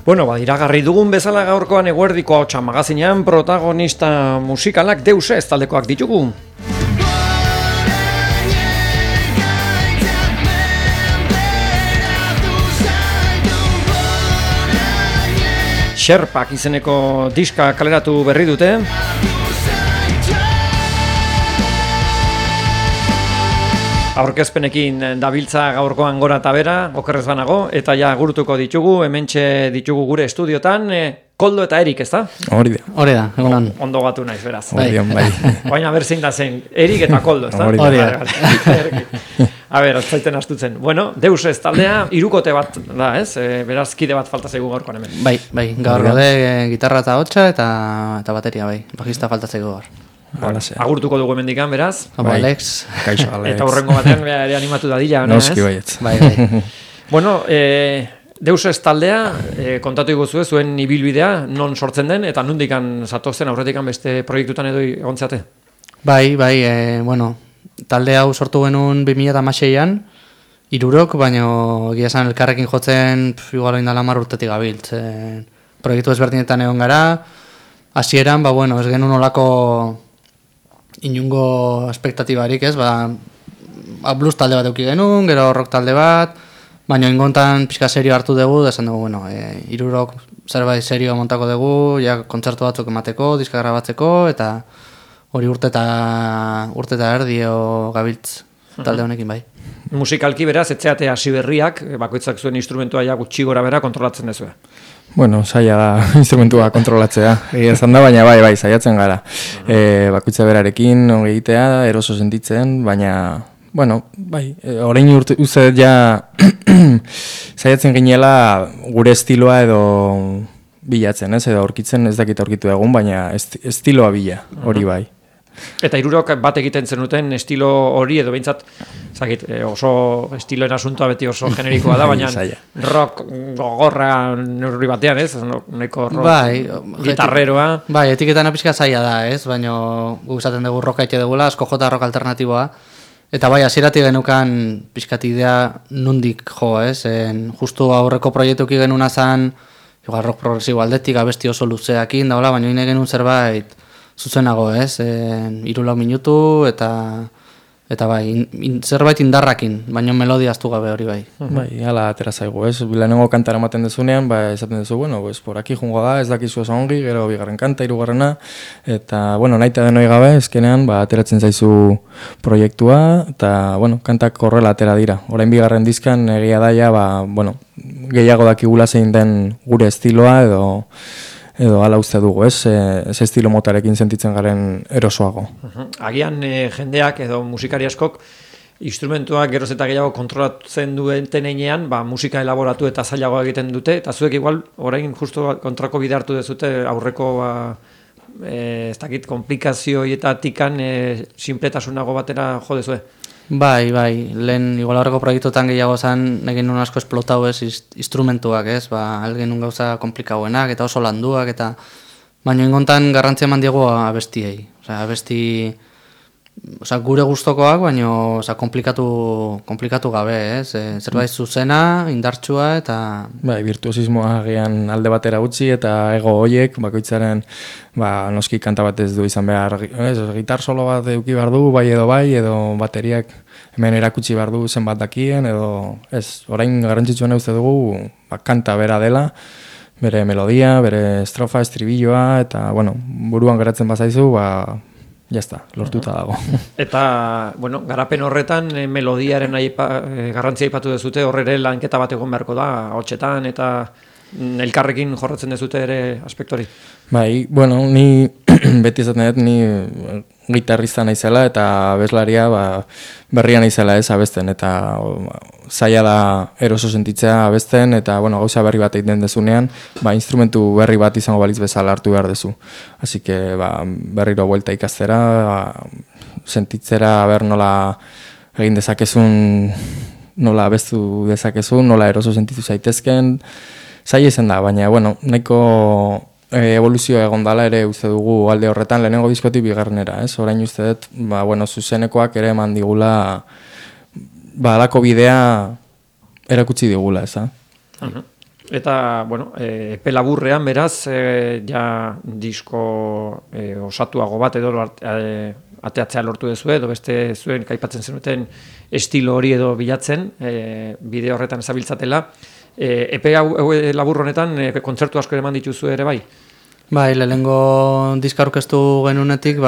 Bueno, iragarri dugun bezala gaurkoan eguerdiko ahotsa magazinean protagonista musikalak Deus Ez taldekoak ditugu. Sherpak izeneko diska kaleratu berri dute. Aurkezpenekin dabiltza gaurkoan gora eta bera, okerrez banago, eta ja gurutuko ditugu, hementxe ditugu gure estudiotan, Koldo eta Erik, ez da? Hori da, egunon. Ondo gatu naiz, beraz. Bai. Baina berzein da zen, Erik eta Koldo, ez da? Hori da. A ber, zaiten astutzen. Bueno, Deus Ez taldea, hirukote bat da, ez? Beraz, kide bat falta zaigu gaurkoan hemen. Bai, gaur gode gitarra eta hotxa eta bateria, bai. Bajista falta zaigu gaur. Agurtuko dugu hemendikan, beraz. Alex. Kaixo, Alex. Eta hurrengo batean ere animatu dadila. Noski baietz. Bai. Bueno, Deus Ez taldea, kontatu iguzu zuen ibilbidea, non sortzen den, eta nondikan zatozen aurretikan beste proiektutan edo egontzate? Bai, bueno, talde hau sortu genuen 2016an, hirurok, baina egia esan elkarrekin jotzen igual indala 10 urtetik gabiltz. Proiektu ezberdinetan egon gara, hasieran, bueno, ez genuen olako inungo espektatibarik, ez, blues talde bat euki genuen, gero rock talde bat, baina ingontan pixka serio hartu dugu, esan dugu, bueno, hirurok zerbait serio montako dugu, ja kontzertu batzuk emateko, diska grabatzeko, eta hori urte eta erdio gabiltz talde honekin bai. Musikalki beraz, etzeate hasi berriak, bakoitzak zuen instrumentua ja gutxi gora bera kontrolatzen dezue. Bueno, saia da instrumentua kontrolatzea, esan da, baina bai, saiatzen gara. Bakoitza berarekin, ongi egitea, eroso sentitzen, baina, bueno, bai, orain uste ja saiatzen ginela gure estiloa edo bilatzen, ez, edo aurkitzen, ez dakit aurkitu egun, baina estiloa bila, hori bai. Eta hirurok bat egiten zenuten estilo hori edo behintzat, oso estiloen asuntoa beti oso generikoa da, baina rock gogorra neurri batean, ez? Nahiko rock gitarreroa. Bai, etiketan apizka zaila da, ez? Baina guk esaten dugu rock haite dugula, asko jota rock alternatiboa. Eta bai, hasieratik genukan pizkat idea nondik jo, ez? Justu aurreko proiektuki genuna zan, igual rock progresibo aldetik, abesti oso luzeakin, daula, baina hine genuen zerbait zuzenago, ez? 3-4 minutu eta bai, zerbait indarrakin, baina melodia aztu gabe hori bai. Bai, hala atera zaigu, ez? Lehenengo kantara ematen dezunean, esaten dezu, bueno, por aquí jungo da, ez dakizu oso ongi, gero bigarren kanta, hirugarrena, eta, bueno, nahi eta denoi gabe, ezkenean, ateratzen zaizu proiektua, eta, bueno, kantak horrela atera dira. Orain bigarren dizkan egia daia, bueno, gehiago dakigula zein den gure estiloa, edo hala uste dugu, ez? Ez estilo motarekin sentitzen garen erosoago. Agian jendeak edo musikari askok instrumentuak geroz eta gehiago kontrolatzen duten heinean, musika elaboratu eta zailago egiten dute, eta zuek igual orain justu kontrako bide hartu dezute aurreko ez dakit komplikazioetatikan sinpletasunago batera jo dezue. Bai, lehen igual horreko proiektuetan gehiago zen egin nun asko esplotau ez instrumentuak, ez? Algen nun gauza komplikauenak eta oso landuak eta baina ingontan garrantzia eman diego abestiei. Gure gustokoak, baina komplikatu gabe, ez? Zerbait zuzena, indartsua eta bai, virtuosismoa agian alde batera utzi eta ego hoiek bakoitzaren noski kanta bat ez du izan behar, ez? Gitar solo bat eduki behar du, bai edo bateriak hemen erakutsi behar du zenbat dakien edo ez, orain garrantzitsuena uste dugu kanta bera dela, bere melodia, bere estrofa, estribilloa eta, bueno, buruan geratzen bazaizu, jazta, lortuta dago. Eta, bueno, garapen horretan melodiaren garrantzia aipatu dezute, horre lanketa bat egon beharko da, hotxetan eta elkarrekin jorratzen dezute ere aspektori. Bai, bueno, ni beti esaten dut, ni gitarrista naizela eta abeslaria berria naizela ez abesten eta zaila da eroso sentitzea abesten eta bueno, gauza berri bat egiten dezunean, instrumentu berri bat izango balitz bezala hartu behar dezu. Así que berriro buelta ikastera, sentitzera nola egin dezakezun, nola abestu dezakezun, nola eroso sentitu zaitezken, zaila izan da, baina bueno, nahiko evoluzioa egon dala ere uste dugu alde horretan lehenengo diskotik bigarrenera, ez? Orain uste dut, zuzenekoak ere eman digula alako bidea erakutsi digula, ez? Eta, bueno, epe laburrean beraz, ja disko osatuago bat edo ateatzea lortu duzu edo beste zuen kaipatzen zenuten estilo hori edo bilatzen, bide horretan ezabiltzatela. Epe labur honetan kontzertu asko eman dituzu ere bai? Bai, lehenengo diska aurkeztu genunetik,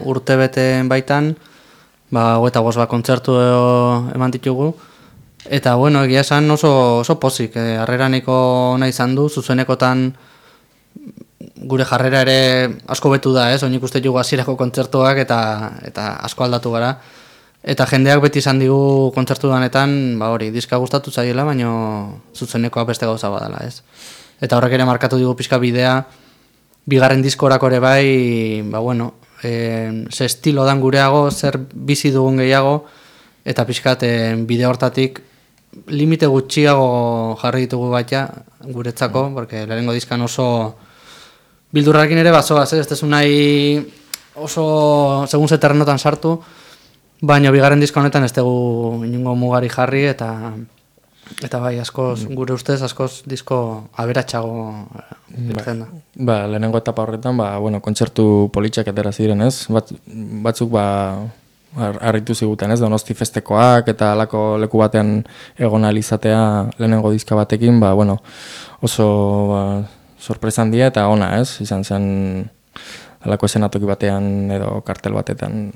urte beten baitan, 25 bat kontzertu eman ditugu. Eta, bueno, egia esan oso pozik, harreraniko ona izan du, zuzenekotan gure jarrera ere asko betu da, oinik uste jugu hasierako kontzertuak eta asko aldatu gara. Eta jendeak beti izan digu kontzertu danetan, hori, diska gustatu zaiela, baina zuzenekoa beste gauza badala, ez. Eta horrek ere markatu digu pixka bidea, bigarren diskorako ere bai, bueno, ze estilo dan gureago, zer bizi dugun gehiago, eta pixkat bide hortatik limite gutxiago jarri ditugu baita guretzako, porque lehenengo diskan oso bildurrarekin ere bazoaz, ez tezu nahi oso segun ze terrenotan sartu, baina bigarren diska honetan ez dugu inungo mugari jarri, eta bai, askoz, gure ustez, askoz disko aberatsago irten da. Lehenengo etapa horretan, bueno, kontzertu politxak atera ziren, ez? Batzuk, harritu ziguten, ez? Donosti festekoak eta alako leku batean egon alizatea lehenengo diska batekin, bueno, oso sorpresa handia eta ona, ez? Izan zen alako esenatoki batean edo kartel batetan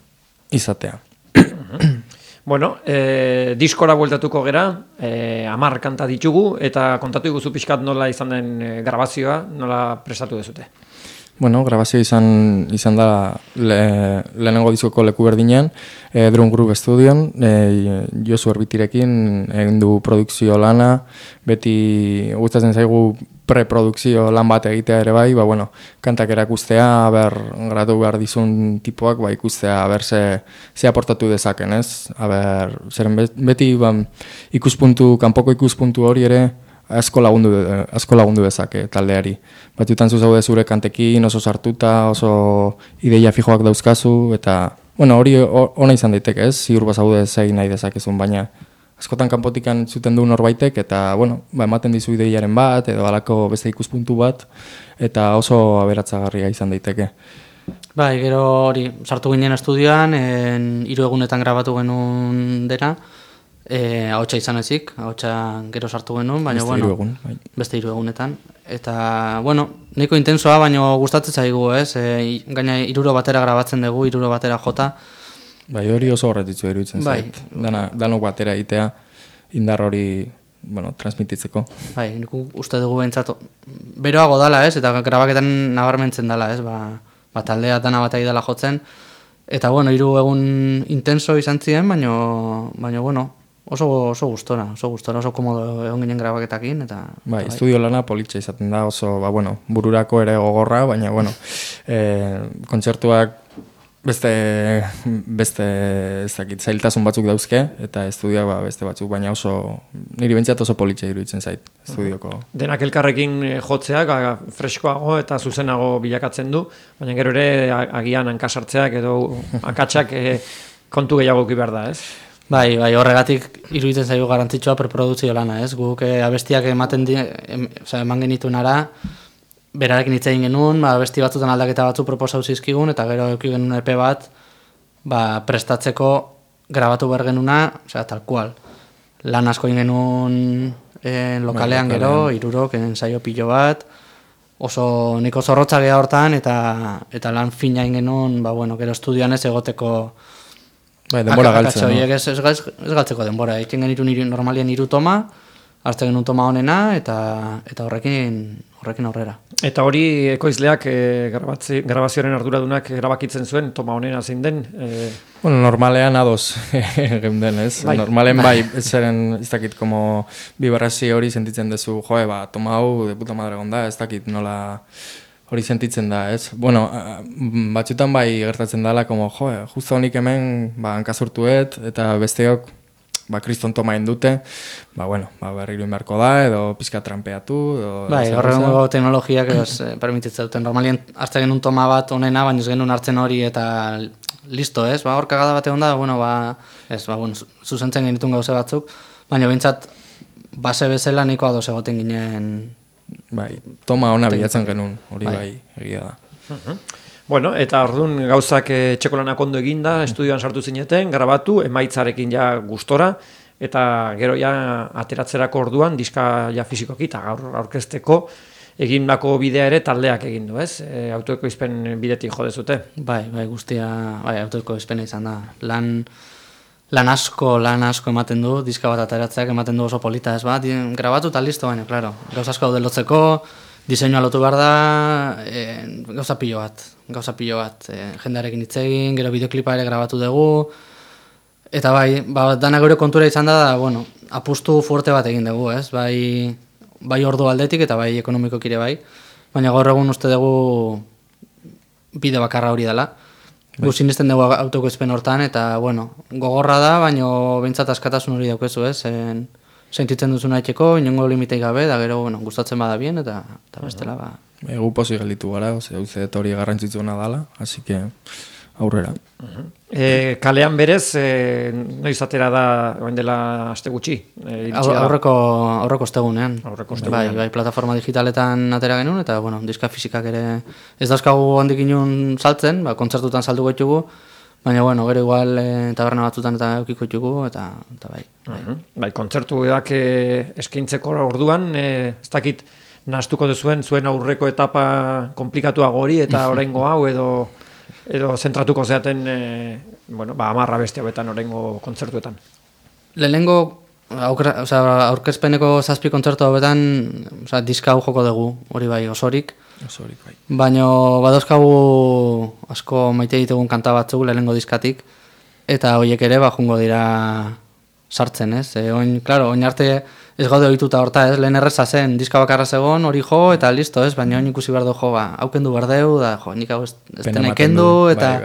izatea. Bueno, diskora bueltatuko gera, 10 kanta ditugu, eta kontatu iguzu pixkat nola izan den grabazioa, nola prestatu dezute? Bueno, grabazio izan da lehenengo diskoko leku berdinean, Drum Group Studion, Josu Erbitirekin egin du produkzio lana, beti gustatzen zaigu preprodukzio lan bat egitea ere bai, bueno, kantak erakustea, gratu behar dizun tipoak, ikustea, ze aportatu dezaken, ez? Zeren beti kanpoko ikuspuntu hori ere asko lagundu dezake taldeari. Batzutan zaude zure kantekin, oso sartuta, oso ideia fijoak dauzkazu, eta, bueno, hori ona izan daiteke, ez? Ziur bazaude zegin nahi dezakezun, baina askotan kanpotikan zuten du norbaitek, eta, bueno, ematen dizu ideiaren bat, edo alako beste ikuspuntu bat, eta oso aberatzagarria izan daiteke. Bai, gero hori, sartu ginen estudioan, 3 egunetan grabatu genuen dena, ahotsa izan ezik, ahotsa gero sartu genuen, baina, beste 3 egunetan. Eta, bueno, nahiko intensoa, baina gustatzen zaigu, ez? Gaina 3 batera grabatzen dugu, 3 batera jota. Bai, hori oso horretitzu iruditzen zait. Danok batera egitea, indar hori, bueno, transmititzeko. Bai, nik uste dugu behintzat, beroago dala, ez? Eta grabaketan nabarmentzen dala, ez? Taldea dana bat dela jotzen. Eta, bueno, 3 egun intenso izan ziren, baina, bueno, oso gustora, oso komodo egon ginen grabaketakin, eta... Bai, estudio lana politxa izaten da, oso, bueno, bururako ere gogorra, baina, bueno, kontzertuak beste zailtasun batzuk dauzke, eta estudioak beste batzuk, baina niri bentsat oso politxa iruditzen zait, estudioko. Denak elkarrekin jotzeak freskoago eta zuzenago bilakatzen du, baina gero ere agian hankasartzeak edo akatsak kontu gehiago behar da, ez? Bai, horregatik iruditzen zaigu garrantzitsua preproduzio lana, ez? Guk abestiak eman genituen ara, berarekin hitz egin genuen, abesti batzutan aldaketa batzu proposau zizkigun, eta gero eduki genuen EP bat, prestatzeko grabatu behar genuna, tal kual. Lan asko egin genuen lokalean gero, 3 ensaio pilo bat, niko zorrotza geha hortan, eta lan fina egin genuen, gero estudioan ez egoteko denbora galtzen. Ez galtzeko denbora, egin genituen normalien 3 toma, hartzen genuen toma honena, eta horrekin aurrera. Eta hori ekoizleak grabazioaren arduradunak erabakitzen zuen, toma honena zein den? Bueno, normalean ados geunden, ez? Normalen zeren, ez dakit, como bibarrazi hori sentitzen dezu, toma hau, de puta madre gonda, ez dakit nola hori sentitzen da, ez? Bueno, batzutan gertatzen dela, como, justo honik hemen, hankazurtuet, eta besteok, kriston toma indute, berriro inbarko da, edo pizka trampeatu, horrengo teknologiak permititzen duten. Normalien hartzen genuen toma bat onena, baina ez genuen hartzen hori eta listo, ez? Hor kagada bate onda, zuzentzen genitun gauze batzuk, baina behintzat base bezala nahiko ados egoten ginen. Bai, toma ona bilatzen genuen, hori bai, egia da. Bueno, eta orduan gauzak etxeko lanak ondo eginda, estudioan sartu zineten, grabatu, emaitzarekin ja gustora, eta gero ja ateratzerako orduan, diska ja fizikoki, eta gaur aurkezteko, egindako bidea ere taldeak egin du, ez? Autoekoizpen bidetik jo dezute. Bai, guztia, autoekoizpena izan da. Lan asko ematen du, diska bat ateratzeak ematen du oso polita, ez ba? Grabatu eta listo, baina, klaro, gauz asko daude lotzeko, diseinua lotu behar da, gauza pilo bat, jendearekin hitz egin, gero bideoklipa ere grabatu dugu, eta bai, dana gure kontura izan da, bueno, apustu fuerte bat egin dugu, ez? Bai ordu aldetik eta bai ekonomikoki ere bai, baina gaur egun uste dugu bide bakarra hori dela. Gu sinisten dugu autokoizpen hortan, eta, bueno, gogorra da, baina behintzat askatasun hori daukezu, ez? Sentitzen duzuna etxeko, inongo limitei gabe, da gero, bueno, gustatzen bada bien, eta bestela, ba. Egu pozik gelditu gara, uste hori garrantzitsuena dela, así que aurrera. Kalean berez, noiz atera da, oin dela aste gutxi? Aurreko ostegunean. Bai, plataforma digitaletan atera genuen, eta, bueno, diska fizikak ere ez dauzkagu handik inun saltzen, kontzertutan saldu goitugu, baina, bueno, gero igual taberna batzutan eta eukiko ditugu, eta bai. Bai, kontzertuak eskaintzeko orduan, ez dakit nahastuko duzuen zuen aurreko etapa komplikatuago hori, eta oraingo hau edo zentratuko zeaten, amarra beste hauetan oraingo kontzertuetan. Lehenengo, aurkezpeneko 7 kontzertu hauetan, diska hau joko dugu, hori bai, osorik, bai. Baina badauzkagu asko maite ditugun kanta batzuk lehenengo diskatik, eta horiek ere jungo dira sartzen, ez? Oin arte ez gaude ohituta horta, ez? Lehen erreza zen, diska bakarra zegon, hori jo, eta listo, ez? Baina oin ikusi behar du jo, haukendu behar deu, da, nik hau ez tenekendu, eta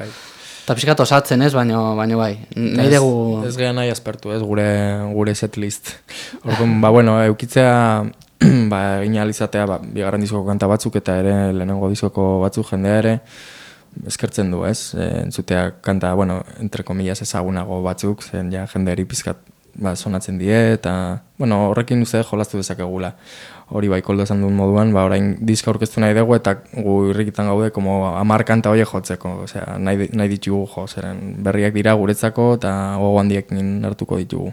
pixkat osatzen, ez? Baina bai, nahi dugu... Ez gehan nahi aspertu, ez? Gure setlist. Orduan, eukitzea... egin alizatea, bigarren diskoko kanta batzuk eta ere lehenengo diskoko batzuk jendea ere eskertzen du, ez? Entzutea kanta, entre comillas ezagunago batzuk, zen ja jendeari pizkat sonatzen die, eta horrekin uste jolastu dezakegula. Hori bai, koldo esan duen moduan, orain diska aurkeztu nahi dugu eta gu irrikitan gaude 10 kanta horiek jotzeko, osea, nahi ditugu jo, zeren berriak dira guretzako eta gogo handiekin hartuko ditugu.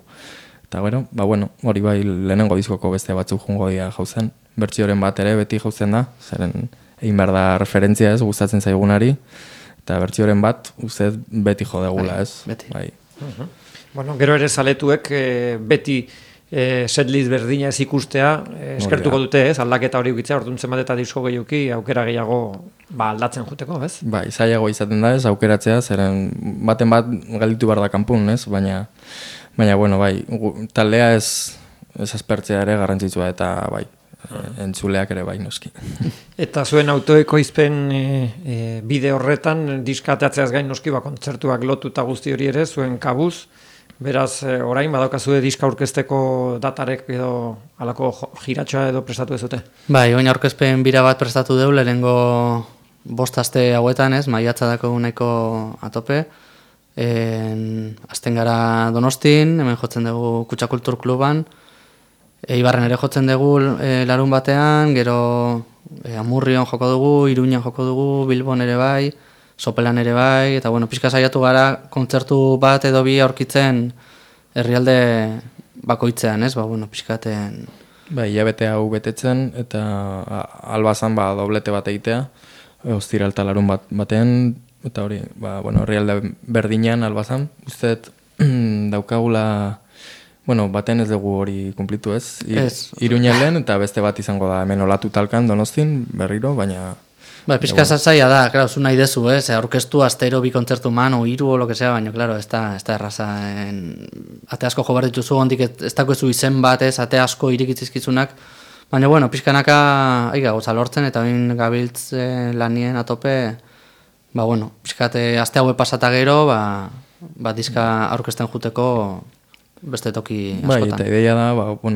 Eta gero, hori bai lehenengo diskoko beste batzuk jungo dira jauzen. Bertsioren bat ere beti jauzen da, zeren egin behar da referentzia ez, gustatzen zaigunari. Eta bertsioren bat, uste beti jo degula ez. Beti. Bai. Gero ere zaletuek beti setlist berdina ez ikustea eskertuko dute ez, aldaketa hori ukitzea, orduan bat eta disko gehioki aukera gehiago aldatzen juteko, ez? Bai, zailago izaten da ez, aukeratzea, zeren baten bat galditu behar da kanpun, ez, baina bai, taldea ez aspertzea ere garrantzitsua eta bai, entzuleak ere bai noski. Eta zuen autoekoizpen bide horretan, diskateatzeaz gain noski, kontzertuak lotu eta guzti hori ere, zuen kabuz, beraz, orain badaukazue diska aurkezteko datarek edo alako jiratxoa edo prestatu ez dute? Bai, oin aurkezpen bira bat prestatu deu, lehenengo 5 aste hauetan ez, maiatza dako nahiko atope, azten gara Donostin, hemen jotzen dugu Kutxa Kultur Kluban, Ibarren ere jotzen dugu larun batean, gero Amurrion joko dugu, Iruñan joko dugu, Bilbon ere bai, Sopelan ere bai, eta pixka saiatu gara kontzertu bat edo bi aurkitzen herrialde bakoitzean, ez? Pixkaten... Bai, hilabete hau betetzen, eta albazan doblete bat egitea, ostira eta larun batean, eta hori, herrialde berdinean albazan, usteet daukagula, baten ez dugu hori kumplitu ez, Iruñan lehen, eta beste bat izango da hemen olatu talkan Donostin, berriro, baina... Pizka zaila da, claro, zu nahi dezu, aurkeztu astero 2 kontzertu man, o 3 o lo que sea, baina, claro, ez da erraza. Ate asko jo behar dituzu, hondik ez dakoezu izen bat, ate asko irikitzizkizunak, baina, pizkanaka gauza lortzen, eta bain gabiltz lanien atope, pizkate aste haue pasata gero, diska aurkezten juteko beste toki askotan. Bai, eta ideia da,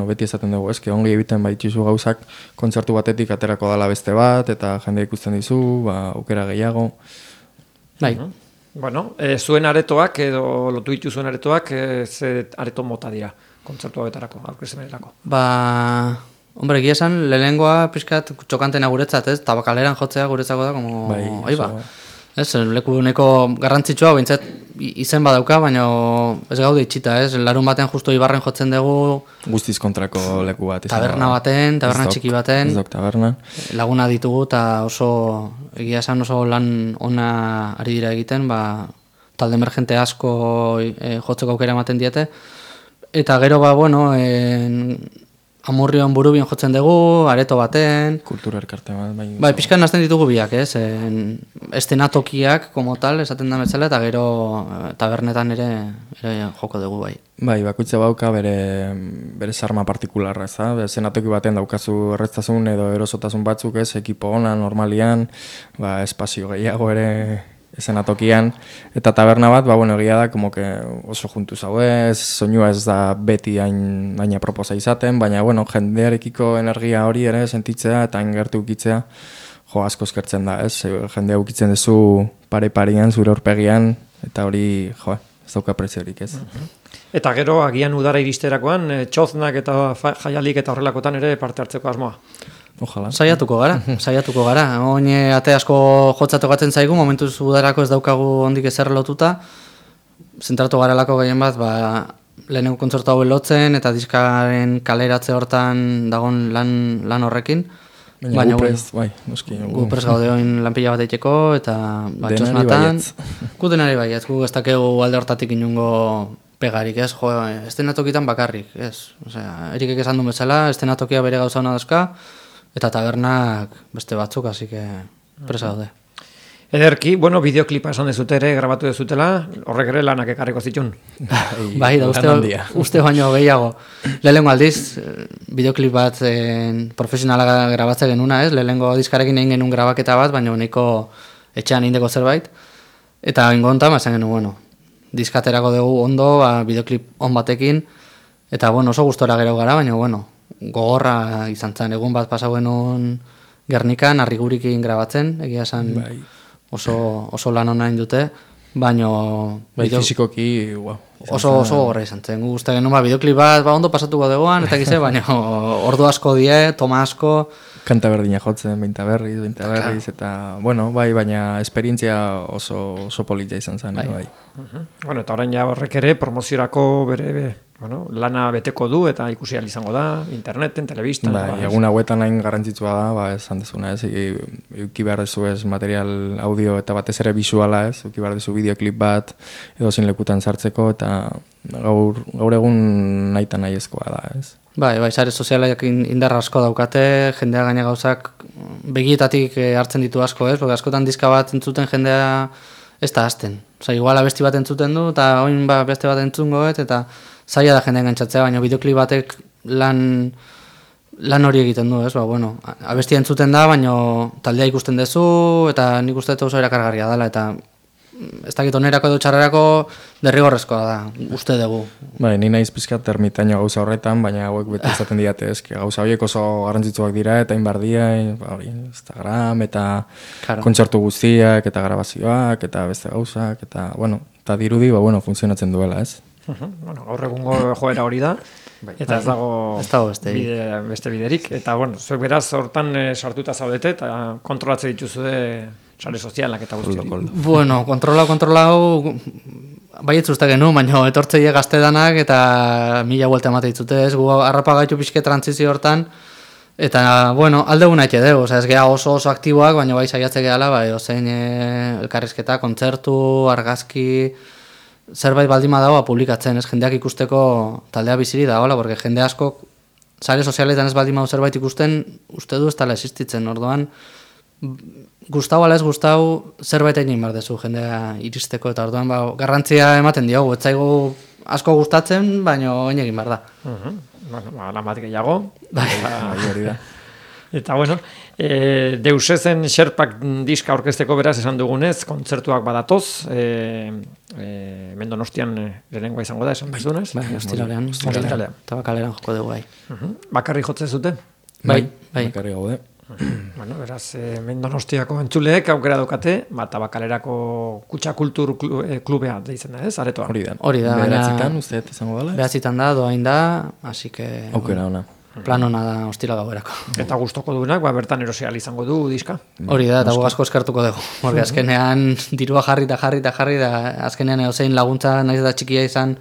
beti esaten dugu, eske ongi egiten baitxizu gauzak, kontzertu batetik aterako dala beste bat, eta jende ikusten dizu, aukera gehiago. Bai. Zuen aretoak, edo lotu ditu zuen aretoak, ze areto mota dira? kontzertu hauetarako, aurkezpenerako? Hombre, egia esan, lehenengoa pixkat txokantena guretzat, ez? Tabakaleran jotzea guretzako da, como... Bai, ez, leku neko garrantzitsua, bintzat izen badauka, baina ez gaude itxita, ez? Larun baten justo Ibarren jotzen dugu... Guztiz kontrako leku bat. Taberna baten, taberna txiki baten. Ez dok taberna. Laguna ditugu, eta egia esan oso lan ona ari dira egiten, talde emergente asko jotzeko aukera ematen diete. Eta gero, Amurrion Burubien jotzen dugu, areto baten... Kultura elkarte bat. Bai, pixkan nazten ditugu biak, ez? Estenatokiak, como tal, esaten da metzela, eta gero tabernetan ere joko dugu, bai. Bai, bakoitza bauka bere sarma partikularra, ez da? Estenatoki baten daukazu erreztasun edo erosotasun batzuk, ez? Ekipo ona, normalian, espazio gehiago ere... Ezenatokian, eta taberna bat, egia da, como que oso juntu zauez, soinua ez da beti hain proposa izaten, baina, jendearekiko energia hori ere sentitzea eta ingertu ukitzea, asko eskertzen da, ez? Jendea ukitzen duzu pare-parian, zure aurpegian, eta hori, ez dauka preziorik, ez? Eta gero, agian udara iristerakoan, txoznak eta jaialik eta horrelakotan ere parte hartzeko asmoa. Ojalá. Saiatuko gara. Oin ate asko jotzatokatzen zaigu, momentuz udarako ez daukagu ondik ezer lotuta. Zentratu garelako gehien bat, lehenengo kontzertu hau lotzen eta diskaren kaleratze hortan dagon lan horrekin. Baina gu prest gaude oin lanpila bat eiteko eta txosnatan. Gu denari baietz, gu ez dakegu alde hortatik inungo pegarik, ez? Estenatokitan bakarrik, ez? Erikek esan du bezala, estenatokia bere gauza hona dazka, eta tabernak beste batzuk, así que presa daude. Ederki, bideoklipa esan dezute ere, grabatu dezutela, horrek ere lanak ekarriko zitun. Bai, da uste baino gehiago. Lehenengo aldiz, bideoklip bat profesionala grabatze genuna, ez? Lehenengo diskarekin egin genuen grabaketa bat, baina nahiko etxean indeko zerbait. Eta ingontan, esan genuen, diskaterako dugu ondo, bideoklip on batekin, eta oso gustora gero gara, baina gogorra izan zen, egun bat pasau genuen Gernikan, Arrigurikin grabatzen, egia esan oso lan onain dute, baina fizikoki oso gogorra izan zen. Gusta genuen bideoklip bat ondo pasatuko duguan, eta gize, baina ordu asko die, toma asko, kanta berdina jotzen, baita berriz, eta, baina esperientzia oso politia izan zen, bai. Eta orain ja horrek ere promoziorako bere lana beteko du eta ikusi ahal izango da, interneten, telebistan. Egun hauetan hain garrantzitsua da, esan dezuna, ez, euki behar dezu ez material audio eta batez ere visuala, ez, euki behar dezu bideoklip bat, edo zin lekutan sartzeko, eta gaur egun nahita nahi ezkoa da, ez. Bai, sare sozialak indarra asko daukate, jendea gaina gauzak begietatik hartzen ditu asko, ez? Porque askotan diska bat entzuten jendea ez da hasten. Igual abesti bat entzuten du, eta oin beste bat entzungoet, eta zaila da jendea engantzatzea, baina bideoklip batek lan hori egiten du, ez? Abestia entzuten da, baina taldea ikusten duzu, eta nik uste oso erakargarria dela, eta ez dakit onerako edo txarrerako derrigorrezkoa da, uste dugu. Ni naiz pizkat ermitaino gauza horretan, baina hauek beti izaten diate, gauza horiek oso garrantzitsuak dira, eta inbardia, Instagram, eta kontzertu guztiak, eta grabazioak, eta beste gauzak, eta dirudi, funtzionatzen duela, ez? Gaur egungo joera hori da, eta ez dago beste biderik, eta zuek beraz hortan sartuta zaudete, eta kontrolatzen dituzu sare sozialak eta guztiak. Kontrola hau baietz uste genu, baina etortzeie gaztedanak eta 1000 buelta emate ditzute, ez? Gu harrapa gaitu pixke trantzizio hortan, eta, alde guna eke dugu, ez geha oso aktiboak, baina bai saiatze gehala, ozein elkarrizketa, kontzertu, argazki, zerbait baldima dagoa publikatzen, ez jendeak ikusteko taldea biziri da, porque jende asko sare sozialetan ez baldima zerbait ikusten, uste du ez tala existitzen, orduan, gustau ala ez gustau zerbait egin behar dezu jendea iristeko, eta orduan garrantzia ematen diogu, ez zaigu asko gustatzen, baina egin behar da. Lan bat gehiago. Eta Deusezen Xerpak diska orkesteko beraz esan dugunez, kontzertuak badatoz, Donostian lehenengoa izango da, esan bezunez? Ostiralean, Tabakaleran joko dugu bai. Bakarri jotzen zuten? Bai. Bakarri gaude. Bueno, beraz, Donostiako entzuleek aukera daukate, Tabakalerako Kutxa Kultur klubea deitzen da, ez? Aretoa. Hori da, Beratzitan, uste izango dela? Beratzitan da, doain da, así que... Aukera ona. Plan ona da ostira gauerako. Eta gustoko duenak, bertan erosial izango du diska. Hori da, eta asko eskertuko dugu. Porque azkenean dirua jarri da, azkenean edozein laguntza naiz da txikia izan,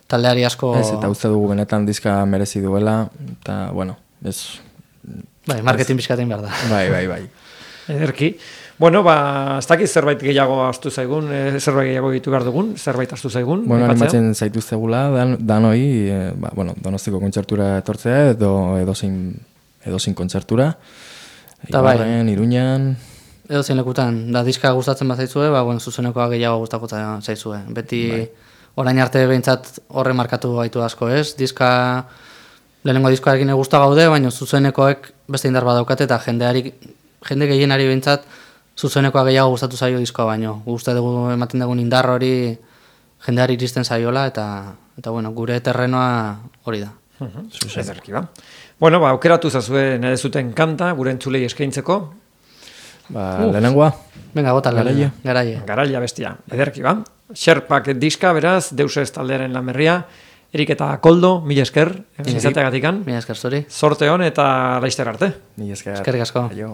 taldeari asko... Ez, eta uste dugu benetan diska merezi duela, eta, bueno, ez... Bai, marketing bizkatein behar da. Bai. Ederki. Bueno, ez dakit zerbait gehiago astu zaigun, zerbait gehiago ditu behar dugun, zerbait astu zaigun. Bueno, animatzen zaituztegula, danoi, Donostiko kontzertura etortzea, edo edozein kontzertura. Ibarren, Iruñan... Edozein lekutan, da diska gustatzen bat zaizue, zuzenekoa gehiago gustako zaizue. Beti orain arte behintzat horre markatu gaitu asko, ez? Lehenengo diskoarekin gusta gaude, baina zuzenekoek beste indar badaukate eta jende gehienari behintzat zuzenekoa gehiago gustatu zaio diskoa baino. Gusta dugu ematen dugun indar hori jendeari iristen zaiola eta gure terrenoa hori da. Ederki ba. Bueno, aukeratu zazue nire zuten kanta, gure entzulei eskaintzeko. Lehenengoa. Venga, bota garaile. Garaila bestia. Ederki ba. Sherpak diska, beraz, Deusez taldearen Lanberria. Erik eta Koldo, mila esker, izateagatikan. Mila esker zuri. Sorte hon eta laizter arte. Mila esker. Eskerrik asko. Aio.